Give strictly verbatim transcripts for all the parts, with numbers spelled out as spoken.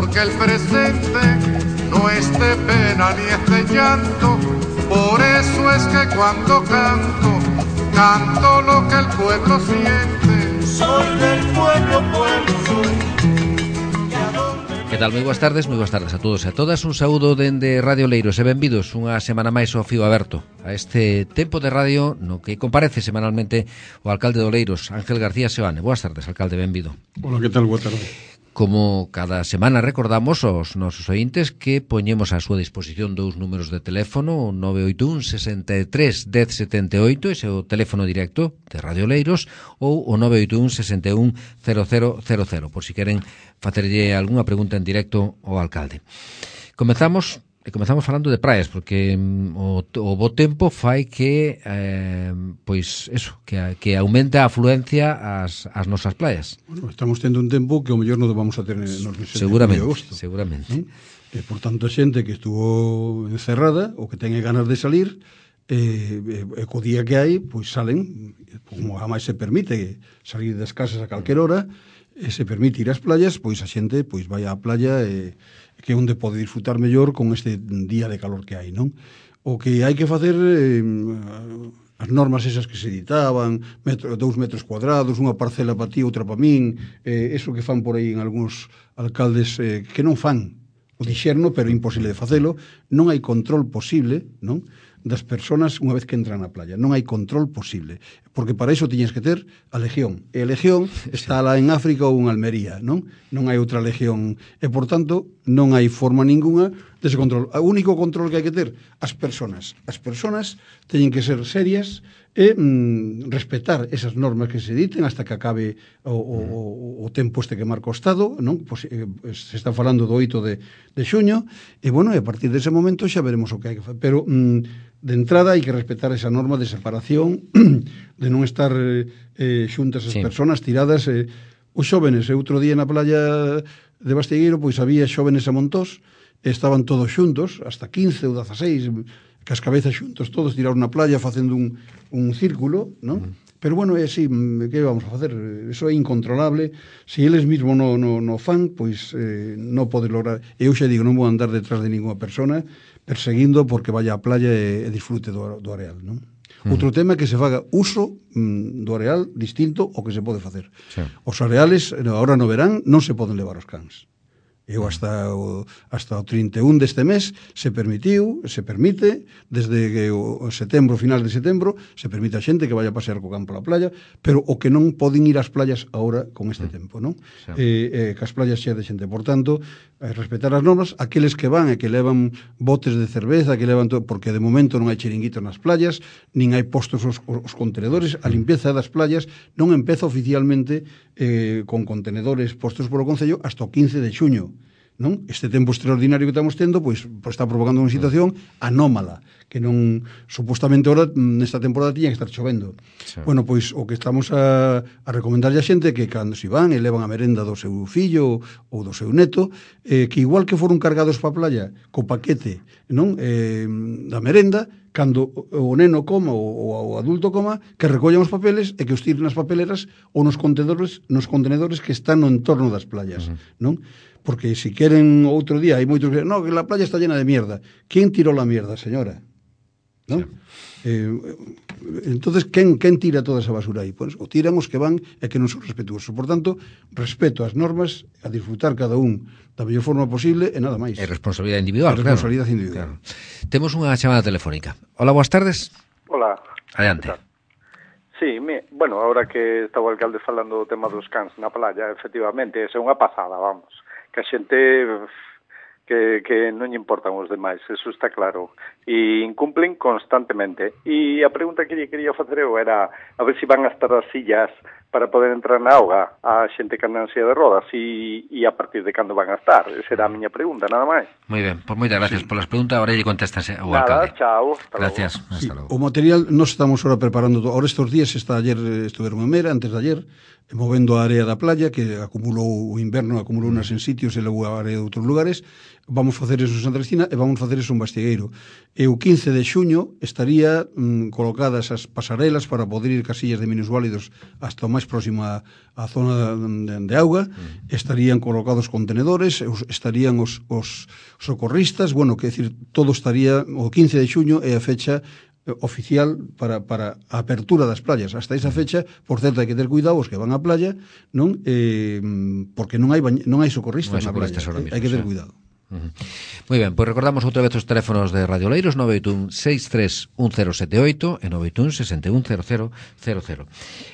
porque el presente no es de pena ni es de llanto. Por eso es que cuando canto, canto lo que el pueblo siente. Soy del pueblo, pueblo soy. Que tal? Moi boas tardes, moi boas tardes a todos e a todas. Un saúdo dende Radio Leiros e benvidos unha semana máis ao Fío Aberto, a este tempo de radio no que comparece semanalmente o alcalde de Oleiros, Ángel García Seoane. Boas tardes, alcalde, benvido. Hola, que tal? Boa tarde. Como cada semana recordamos aos nosos ointes que poñemos á súa disposición dous números de teléfono, o nove oito un, sesenta e tres, dez setenta e oito, ese é o teléfono directo de Radio Leiros, ou o nove oito un, sesenta e un, cero cero cero cero, por si queren facerlle algunha pregunta en directo ao alcalde. Comezamos E comezamos falando de praias, porque mm, o, o bo tempo fai que eh, pois eso, que, que aumente a afluencia ás, ás nosas praias. Bueno, estamos tendo un tempo que o mellor non vamos a ter nos meses seguramente, de agosto. Seguramente. ¿Sí? E por tanto a xente que estuvo encerrada ou que ten ganas de salir, e, e, e co día que hai, pois salen, como a máis se permite salir das casas a calquer hora, e se permite ir ás playas, pois a xente pois vai á playa e que é onde pode disfrutar mellor con este día de calor que hai, non? O que hai que facer eh, as normas esas que se editaban, metro, dous metros cuadrados, unha parcela para ti, outra para min, eh, eso que fan por aí en algúns alcaldes eh, que non fan o dixerno, pero imposible de facelo, non hai control posible, non? Das persoas unha vez que entran na playa. Non hai control posible, porque para iso tiñes que ter a legión. E a legión está lá en África ou en Almería, non? Non hai outra legión. E, por tanto, non hai forma ninguna dese control. O único control que hai que ter, as persoas. As persoas teñen que ser serias e mm, respetar esas normas que se diten hasta que acabe o, o, o tempo este que marca o Estado, non? Pues, eh, se está falando do oito de, de xuño, e, bueno, e a partir dese momento xa veremos o que hai que facer. Pero, mm, de entrada, hai que respetar esa norma de separación, de non estar eh, xuntas as sí. persoas tiradas. Eh, os xóvenes, e outro día na playa de Bastegueiro, pois había xóvenes a montós, estaban todos xuntos, hasta quince ou dezaseis, que as cabezas xuntos, todos tirados na playa facendo un, un círculo, non? Mm. Pero, bueno, é así, que vamos a facer? Eso é incontrolable. Se eles mesmos no, no, no fan, pois eh, non pode lograr. Eu xa digo, non vou andar detrás de ninguna persona perseguindo porque vaya á playa e, e disfrute do, do areal, non? Mm. Outro tema é que se faga uso mm, do areal distinto ao que se pode facer. Sí. Os areales, agora no verán, non se poden levar os cans. Eu hasta o, hasta o trinta e un deste mes se permitiu, se permite, desde que o setembro, final de setembro, se permite a xente que vaya a pasear co can pola playa, pero o que non poden ir ás playas agora con este mm. tempo, non? Sí. Eh, eh, que as playas xa de xente. Por tanto, eh, respetar as normas, aqueles que van e que levan botes de cerveza, que levan todo, porque de momento non hai chiringuitos nas playas, nin hai postos os, os contenedores, a limpeza das playas non empeza oficialmente eh, con contenedores postos polo Concello hasta o quince de xuño. Non? Este tempo extraordinario que estamos tendo pois, pois está provocando unha situación anómala que non, supostamente ahora nesta temporada tiña que estar chovendo. Sí. Bueno, pois o que estamos a, a recomendarlle a xente que cando se van e levan a merenda do seu fillo ou do seu neto, eh, que igual que foron cargados pa playa co paquete, non, eh, da merenda, cando o neno coma ou o adulto coma, que recollan os papeles e que os tiren nas papeleras ou nos contenedores, nos contenedores que están no entorno das playas, uh-huh. non? Porque se queren outro día, hai moitos que no, que la playa está llena de mierda. ¿Quién tiró la mierda, señora? ¿No? Sí. Eh, entonces, quen, quen tira toda esa basura aí? Pues, o tiran os que van e que non son respetuosos. Por tanto, respeto as normas, a disfrutar cada un da mellor forma posible e nada máis. É responsabilidade individual, é responsabilidade claro. individual. Claro. Temos unha chamada telefónica. Hola, boas tardes. Hola. Adiante. Sí, me, bueno, ahora que está o alcalde falando do tema dos cans na playa, efectivamente, é unha pasada, vamos. Que a xente que, que non lle importan os demais, eso está claro, e incumplen constantemente. E a pregunta que lle quería facer eu era a ver se van a estar as sillas para poder entrar na auga a xente que anda en silla de rodas e, e a partir de cando van a estar. Esa era a miña pregunta, nada máis. Moi ben, pois moitas gracias sí. polas preguntas, ahora lle contestas o alcalde. Nada, chao, hasta gracias, logo. Sí, o material nos estamos ahora preparando, ahora estes días, está ayer estuveron en Mera, antes de ayer, movendo a area da playa, que acumulou o inverno, acumulou nas en sitios e levou a area de outros lugares. Vamos facer eso en Santa Cristina e vamos facer eso en Bastigueiro. E o quince de xuño estaría mm, colocadas as pasarelas para poder ir casillas de minusválidos hasta o máis próximo a, a zona de, de auga. Mm. Estarían colocados contenedores, estarían os, os socorristas, bueno, que decir, todo estaría, o quince de xuño é a fecha oficial para, para a apertura das playas. Hasta esa fecha, por certo, hai que ter cuidado os que van á playa, non eh, porque non hai bañ... non hai socorristas na playa. Hai que ter cuidado. Uh-huh. Moi ben, pois recordamos outra vez os teléfonos de Radio Oleiros: nove oito un seis tres un cero sete oito e nove oito un seis un cero cero cero cero.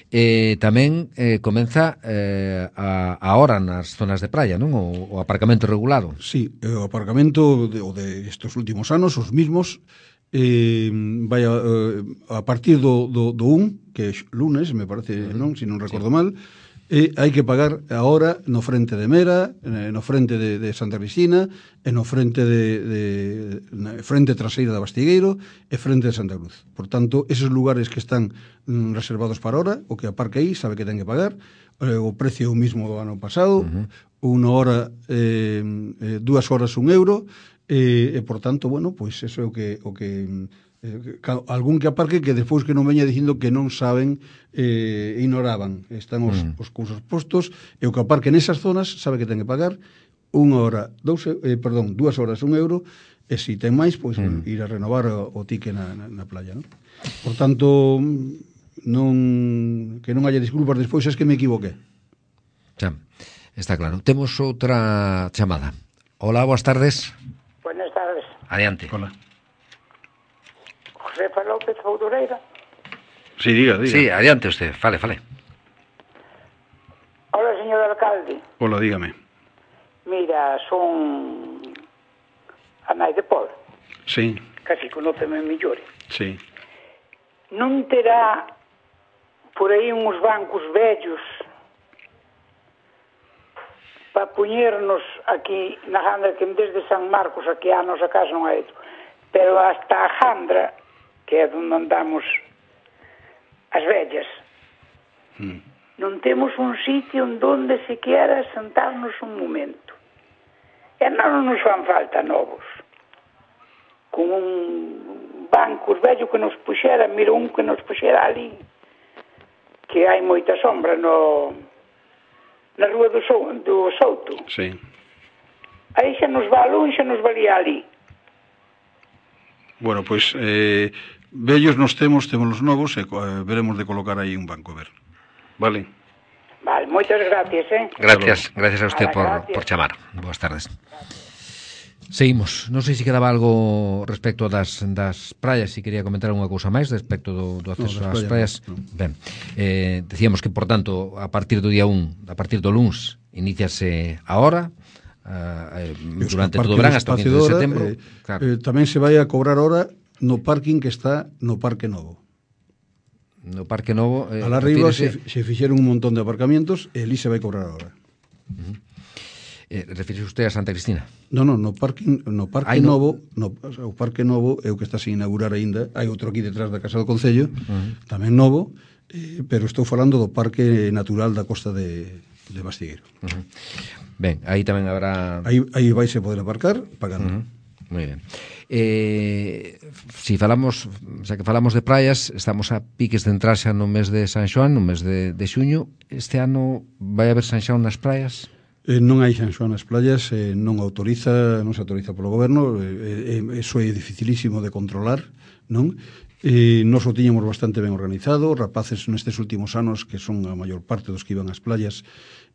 Eh, tamén eh, comeza eh, a, a hora nas zonas de praia, non? O, o aparcamento regulado. Sí, o aparcamento de, o de estos últimos anos, os mismos, eh, vai a, a partir do, do, do un, que é lunes, me parece, uh-huh. non? Se non recordo sí. mal, e hai que pagar a hora no frente de Mera, no frente de, de Santa Cristina, e no frente de, de na frente traseira da Bastigueiro e frente de Santa Cruz. Por tanto, esos lugares que están mm, reservados para hora, o que aparca aí sabe que ten que pagar. Eh, o precio é o mismo do ano pasado, uh-huh. unha hora, eh, eh, dúas horas un euro, e, e por tanto, bueno, pois eso é o que o que eh, algún que aparque que despois que non veña dicindo que non saben, eh, ignoraban, están os, mm. os cursos postos, e o que aparque nesas zonas sabe que ten que pagar unha hora, dous, eh, perdón, dúas horas un euro, e se ten máis, pois mm. ir a renovar o, o tique na, na, na playa, non? Por tanto, non que non haya disculpas despois, es que me equivoqué. Xa, está claro. Temos outra chamada. Hola, boas tardes. Buenas tardes. Adiante. Hola. Josefa López Foudureira. Sí, diga, diga. Sí, adiante usted, fale, fale. Hola, señor alcalde. Hola, dígame. Mira, son a nai de Pol. Sí. Casi conóceme mellor. Sí. Non terá por aí uns bancos vellos para poñernos aquí na Jandra, que desde San Marcos aquí a nosa casa non hai, pero hasta a Jandra, que é onde andamos as vellas, mm. non temos un sitio onde sequera sentarnos un momento. E non nos fan falta novos. Con un banco vello que nos puxera, mira un que nos puxera ali, que hai moita sombra no na rúa do, so, do Souto. Sí. Aí xa nos va longe, xa nos valía ali. Bueno, pois pues, eh, vellos nos temos, temos os novos e eh, veremos de colocar aí un banco, ver. Vale. Vale, moitas gracias, eh. Gracias, gracias a usted Vale, por, gracias. por chamar. Boas tardes. Seguimos. Non sei se quedaba algo respecto das, das praias, se quería comentar unha cousa máis respecto do, do acceso no, ás praias. No. Ben, eh, decíamos que, por tanto, a partir do día un, a partir do luns, iníciase a hora, eh, durante todo o verán, hasta o quince de setembro. Eh, claro. eh, tamén se vai a cobrar hora no parking que está no Parque Novo. No Parque Novo... Eh, Alá arriba se, se fixeron un montón de aparcamientos e ali se vai cobrar a hora. Uh-huh. Eh, refírese usted a Santa Cristina? No, no, no parking, no Parque Ai, no. Novo, no, o Parque Novo é o que está sin inaugurar aínda. Hai outro aquí detrás da Casa do Concello, uh-huh. tamén novo, eh, pero estou falando do Parque Natural da Costa de, de Bastigueiro. Uh-huh. Ben, aí tamén habrá... Aí, aí vai se poder aparcar pagando. Uh-huh. Moi ben. Eh, si falamos, xa que falamos de praias, estamos a piques de entrar xa no mes de San Xoán, no mes de, de xuño. Este ano vai haber San Xoán nas praias? Eh, non hai San Xoán nas playas, eh, non autoriza, non se autoriza polo goberno, eh, eh, eso é dificilísimo de controlar, non? Eh, nos o tiñamos bastante ben organizado, rapaces nestes últimos anos, que son a maior parte dos que iban ás playas,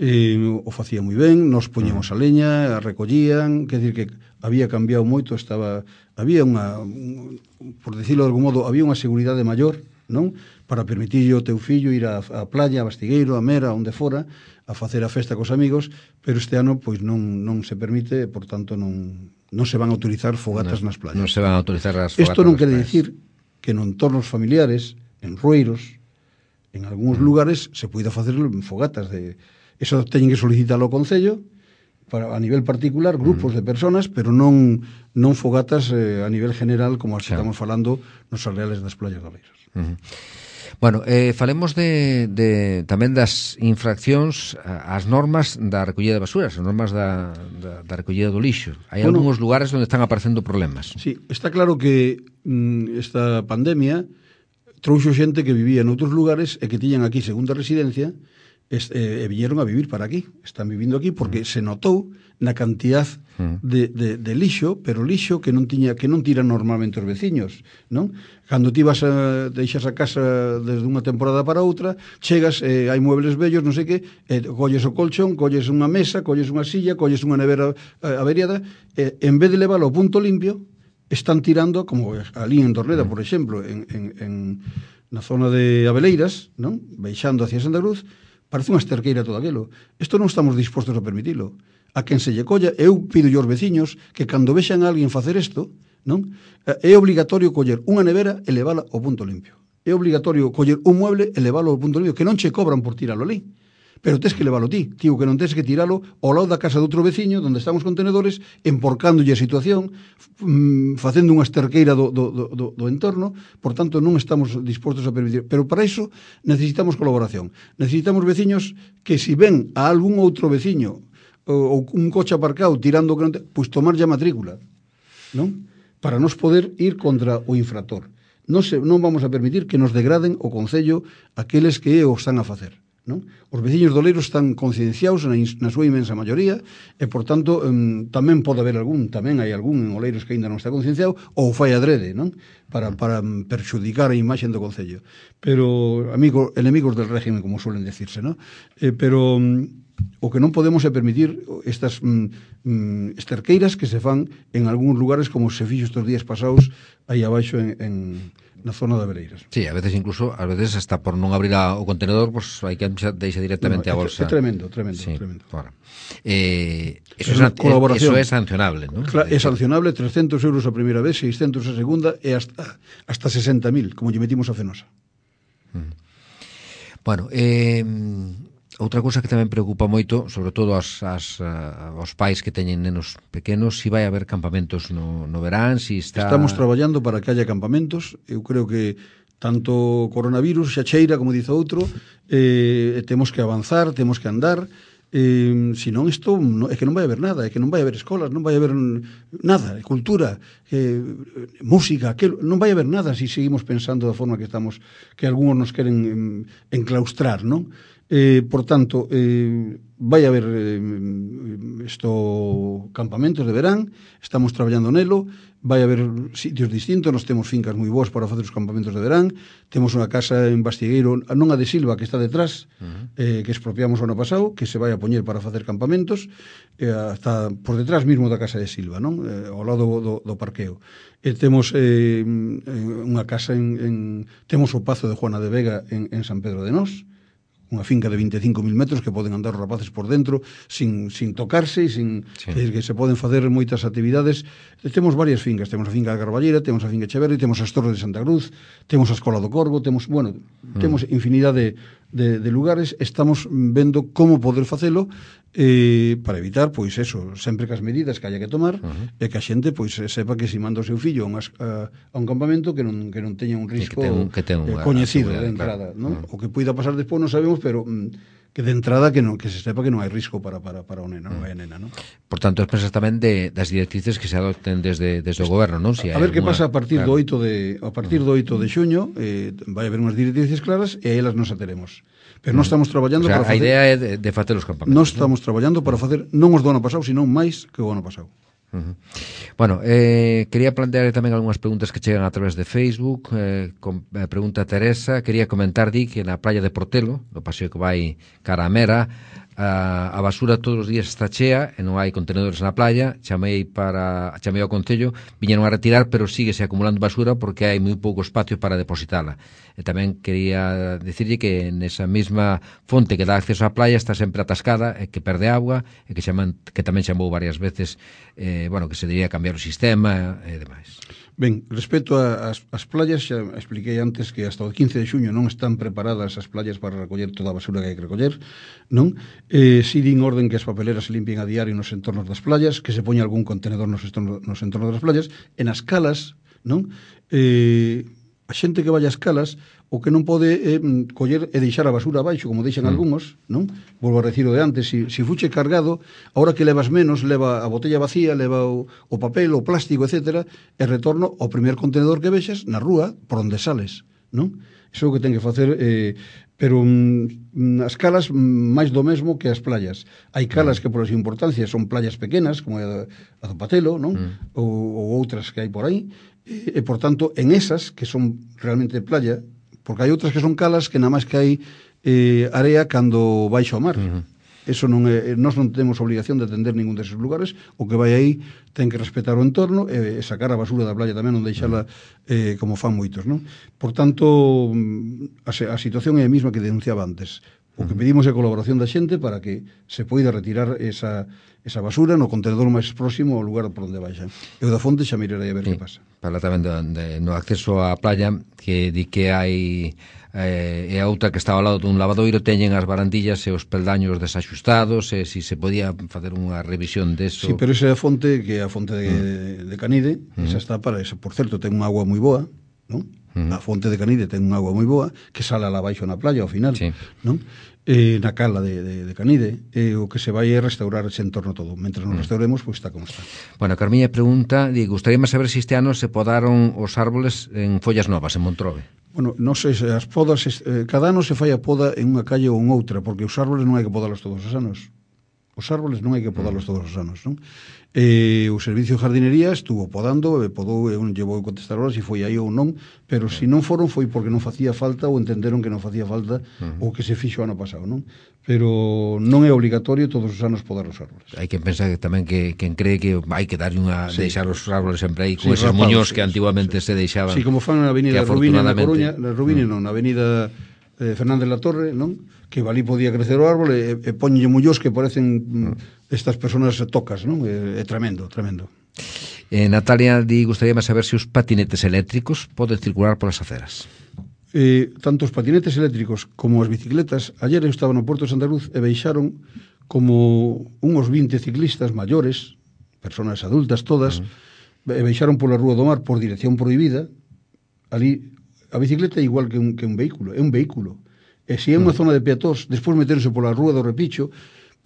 eh, o facía moi ben, nos poñemos a leña, a recollían, quer dizer que había cambiado moito, estaba, había unha, un, por decirlo de algún modo, había unha seguridade maior, non? Para permitirlle ao teu fillo ir á, á playa, a Bastigueiro, a Mera, onde fora, a facer a festa cos amigos, pero este ano pois non non se permite, por tanto non non se van a autorizar fogatas no, nas playas. Non se van a autorizar as fogatas. Isto non quere playas. dicir que en entornos familiares, en rueiros, en algúns mm. lugares se poida facer fogatas de eso teñen que solicitarlo ao Concello, para, a nivel particular, grupos uh-huh. de personas, pero non non fogatas eh, a nivel general como as que claro. estamos falando nos areales das playas galegras. Uh-huh. Bueno, eh, falemos de, de tamén das infraccións ás normas da recollida de basuras, as normas da, da, da recollida do lixo. Hai bueno, algúns lugares onde están aparecendo problemas. Sí, está claro que mm, esta pandemia trouxo xente que vivía noutros lugares e que tiñan aquí segunda residencia e, e viñeron a vivir para aquí. Están vivindo aquí porque mm. se notou na cantidad mm. de, de, de lixo, pero lixo que non tiña que non tiran normalmente os veciños, non? Cando ti vas a deixas a casa desde unha temporada para outra, chegas, eh, hai muebles vellos, non sei que, eh, colles o colchón, colles unha mesa, colles unha silla, colles unha nevera eh, averiada, e eh, en vez de leválo ao punto limpio, están tirando, como ali en Torreda, por exemplo, en, en, en na zona de Abeleiras, non? Baixando hacia Santa Cruz, parece unha esterqueira todo aquilo. Isto non estamos dispostos a permitilo. A quen se lle colla, eu pido aos veciños que cando vexan a alguén facer isto, non? É obligatorio coller unha nevera e levala ao punto limpio. É obligatorio coller un mueble e leválo ao punto limpio, que non che cobran por tiralo ali. Pero tes que leválo ti, tío, que non tes que tiralo ao lado da casa de outro veciño, onde están os contenedores, emporcándolle a situación, mm, facendo unha esterqueira do, do, do, do entorno, por tanto non estamos dispostos a permitir. Pero para iso necesitamos colaboración. Necesitamos veciños que si ven a algún outro veciño ou un coche aparcado tirando que non te, pois tomar ya matrícula, non? Para nos poder ir contra o infractor. Non, se, non vamos a permitir que nos degraden o concello aqueles que o están a facer. Non? Os veciños do Oleiros están concienciados na, na súa inmensa maioría e, por tanto, um, tamén pode haber algún, tamén hai algún en Oleiros que ainda non está concienciado ou fai adrede, non? Para, para perxudicar a imaxe do concello. Pero, amigo, enemigos del régimen, como suelen decirse, non? Eh, pero um, o que non podemos é permitir estas um, um, esterqueiras que se fan en algúns lugares como se fixo estes días pasados aí abaixo en... en na zona de Abeleiras. Sí, a veces incluso, a veces hasta por non abrir a, o contenedor, pues hai que deixa directamente no, a bolsa. É tremendo, tremendo, sí, tremendo. Claro. Eh, eso, es, eso é sancionable, ¿no? Claro, é sancionable, trescentos euros a primeira vez, seiscentos a segunda e hasta hasta sesenta mil, como lle metimos a Fenosa. Mm. Bueno, eh outra cousa que tamén preocupa moito, sobre todo as, as, uh, os pais que teñen nenos pequenos, si vai haber campamentos no, no verán, si está... Estamos traballando para que haya campamentos. Eu creo que tanto coronavirus, xa cheira, como dice outro, eh, temos que avanzar, temos que andar, eh, senón isto no, é que non vai haber nada, é que non vai haber escolas, non vai haber nada, cultura, eh, música, que non vai haber nada se si seguimos pensando da forma que estamos, que algúns nos queren eh, enclaustrar, non? Eh, por tanto, eh, vai haber eh, esto campamentos de verán, estamos traballando nelo, vai haber sitios distintos, nós temos fincas moi boas para facer os campamentos de verán, temos unha casa en Bastigueiro, non a de Silva, que está detrás, uh-huh. eh, que expropiamos o ano pasado, que se vai a poñer para facer campamentos, eh, está por detrás mismo da casa de Silva, non? Eh, ao lado do, do parqueo. E temos eh, unha casa en, en... temos o Pazo de Juana de Vega en, en San Pedro de Nós, unha finca de vinte e cinco mil metros que poden andar os rapaces por dentro sin, sin tocarse e sin, sí. eh, que se poden facer moitas actividades. Temos varias fincas, temos a finca da Carballera, temos a finca Echeverri, temos as Torres de Santa Cruz, temos a Escola do Corvo, temos, bueno, mm. temos infinidade de, de lugares, estamos vendo como poder facelo eh, para evitar, pois eso, sempre que as medidas que haya que tomar, uh-huh. e que a xente pois sepa que se manda o seu fillo a un, a, a un campamento que non, que non teña un risco que ten, que ten eh, coñecido de entrada, claro. ¿no? Uh-huh. O que poida pasar despois non sabemos, pero mm, que de entrada que non que se sepa que non hai risco para para para o nena, non hai nena, ¿no? Por tanto, pensas tamén de das directrices que se adopten desde desde o goberno, non? Si a ver que pasa a partir claro. do oito de a partir do oito de xuño, eh, vai haber unhas directrices claras e elas nos ateremos. Pero non estamos traballando o sea, para facer... A idea é de, de facer os campamentos. Non estamos ¿no? traballando para facer non os do ano pasado, senón máis que o ano pasado. Uh-huh. Bueno, eh, quería plantear tamén algunhas preguntas que chegan a través de Facebook. eh, con, eh, Pregunta Teresa, quería comentar, di, que na praia de Portelo, no paseo que vai cara a Mera, a, a basura todos os días está chea e non hai contenedores na playa. Chamei para chamei ao concello, viñeron a retirar, pero síguese acumulando basura porque hai moi pouco espacio para depositala. E tamén quería decirlle que nesa mesma fonte que dá acceso á playa está sempre atascada e que perde agua e que chaman, que tamén chamou varias veces, eh, bueno, que se debería cambiar o sistema e demais. Ben, respecto ás as playas, xa expliquei antes que hasta o quince de xuño non están preparadas as playas para recoller toda a basura que hai que recoller, non? Eh, si din orden que as papeleras se limpien a diario nos entornos das playas, que se poña algún contenedor nos entornos, nos entornos das playas, en as calas, non? Eh, a xente que vai ás calas o que non pode é eh, coller e deixar a basura abaixo, como deixan mm. algúns, non? Volvo a decir o de antes, si, si fuche cargado, ahora que levas menos, leva a botella vacía, leva o, o papel, o plástico, etcétera, e retorno ao primer contenedor que vexas na rúa por onde sales, non? Iso é o que ten que facer, eh, pero mm, as calas mm, máis do mesmo que as playas. Hai calas que pola súa importancia son playas pequenas, como a, a do Patelo, non? Mm. Ou, ou outras que hai por aí, e, e por tanto, en esas, que son realmente playa, porque hai outras que son calas que nada máis que hai eh, area cando baixo ao mar. Uh-huh. Eso non é, nós non temos obligación de atender ningún deses lugares, o que vai aí ten que respetar o entorno e, e sacar a basura da playa tamén, non deixala eh, como fan moitos, non? Por tanto, a, a situación é a mesma que denunciaba antes. O que pedimos é a colaboración da xente para que se poida retirar esa, esa basura no contenedor máis próximo ao lugar por onde baixa. Eu da fonte xa mirarei a ver sí, que pasa. Fala tamén de, de, no acceso á playa, que di que hai eh, e a outra que estaba ao lado dun lavadoiro teñen as barandillas e os peldaños desaxustados, e se si se podía facer unha revisión deso. Sí, pero esa é a fonte, que é a fonte de, mm. de Canide, mm. esa está para eso. Por certo, ten unha agua moi boa, non? Mm. A fonte de Canide ten unha agua moi boa que sale lá abaixo na playa ao final, sí. non? Eh, na cala de, de, de Canide, eh, o que se vai é restaurar ese entorno todo. Mentre nos mm. restauremos, pois pues, está como está. Bueno, Carmiña pregunta, di, gustaríame saber se este ano se podaron os árboles en follas novas, en Montrobe. Bueno, non sei se as podas, eh, cada ano se fai a poda en unha calle ou en outra, porque os árboles non hai que podalos todos os anos. Os árboles non hai que podalos todos os anos, non? Eh, o Servicio de Jardinería estuvo podando, e podou, e non llevou a contestar ahora se foi aí ou non, pero se non foron foi porque non facía falta ou entenderon que non facía falta uh-huh. o que se fixo ano pasado, non? Pero non é obligatorio todos os anos podar os árboles. Hai que pensar que tamén que quen cree que hai que dar unha sí. deixar os árboles sempre aí con sí, esos rapados, muños sí, que antiguamente sí. se deixaban. Sí, como fan na avenida Rubine na Coruña, na Rubine mm. non, na avenida eh, Fernández la Torre, non? Que valí podía crecer o árbol e, e poñenlle mullós que parecen mm. estas personas tocas, non? É, é tremendo, tremendo. Eh, Natalia, di, gustaríame saber se os patinetes eléctricos poden circular polas aceras. Eh, tanto os patinetes eléctricos como as bicicletas, ayer eu estaba no Porto de Santa Cruz e veixaron como unhos vinte ciclistas maiores, personas adultas todas, uh-huh. e veixaron pola Rúa do Mar por dirección prohibida. Ali a bicicleta é igual que un, que un vehículo, é un vehículo. E se é unha uh-huh. zona de peatóns, despois meterse pola Rúa do Repicho,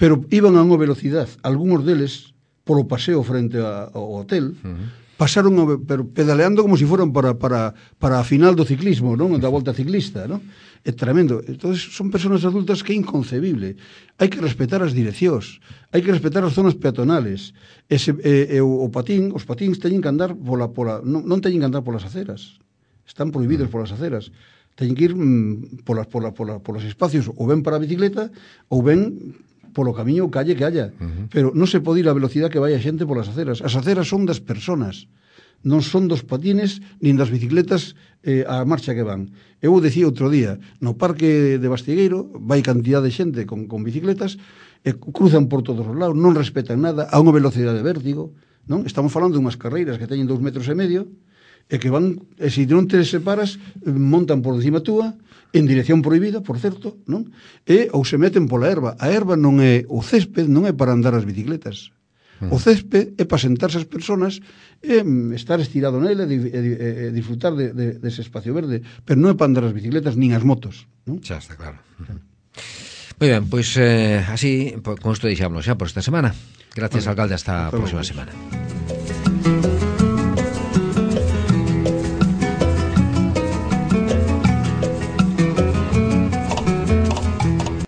pero iban a unha velocidade, algúns deles polo paseo frente a, ao hotel, uh-huh. pasaron a, pero pedaleando como se si foran para, para, para a final do ciclismo, non? Da volta ciclista, non? É tremendo. Entonces, son personas adultas que é inconcebible. Hai que respetar as direccións, hai que respetar as zonas peatonales. Ese, e, e, o, o patín, os patíns teñen que andar pola, pola, non, non teñen que andar polas aceras. Están prohibidos polas aceras. Teñen que ir mm, polas, pola, pola, polos espacios ou ben para a bicicleta ou ben polo camiño ou calle que haya. Uh-huh. Pero non se pode ir a velocidade que vai a xente polas aceras. As aceras son das personas, non son dos patines nin das bicicletas eh, a marcha que van. Eu decía outro día, no parque de Bastigueiro vai cantidad de xente con, con bicicletas e cruzan por todos os lados, non respetan nada, a unha velocidade de vértigo, non? Estamos falando de unhas carreiras que teñen dous metros e medio e que van, e se non te separas, montan por encima túa, en dirección prohibida, por certo, non? E ou se meten pola erva. A erva non é, o césped non é para andar as bicicletas. O césped é para sentarse as personas e estar estirado nele e, e, e disfrutar de, de, de ese espacio verde, pero non é para andar as bicicletas nin as motos, non? Xa está claro. Moi ben, pois eh, así, con isto deixámonos xa por esta semana. Gracias, vale. Alcalde, hasta a próxima semana.